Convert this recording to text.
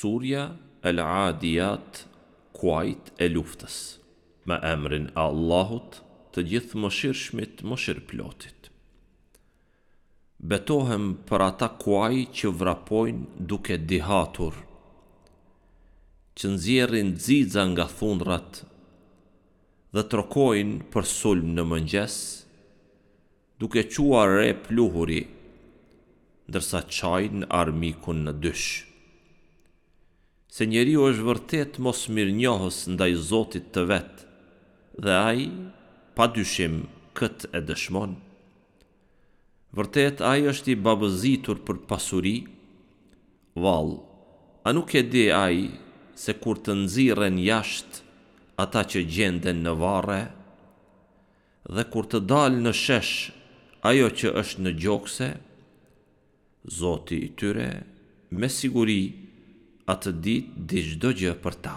Surja El-Adijat Kuajt e luftës Me emrin e Allahut të Gjithëmëshirshmit Mëshirëplotit Betohem për ata kuaj që vrapojnë duke dihatur që nxjerrin xixa nga thundrat dhe trokojnë për sulm në mëngjes duke çuar re pluhuri, ndërsa çajnë armikun në dysh. Se njeriu është vërtet mosmirënjohës ndaj Zotit të vet dhe ai, pa dyshim, këtë e dëshmon. Vërtet ai është i babëzitur për pasuri, vallë, a nuk e di ai se kur të nxirren jashtë ata që gjenden në varre, Dhe kur të dalë në shesh ajo që është në gjokse, Zoti i tyre me siguri atë ditë di çdo gjë për ta.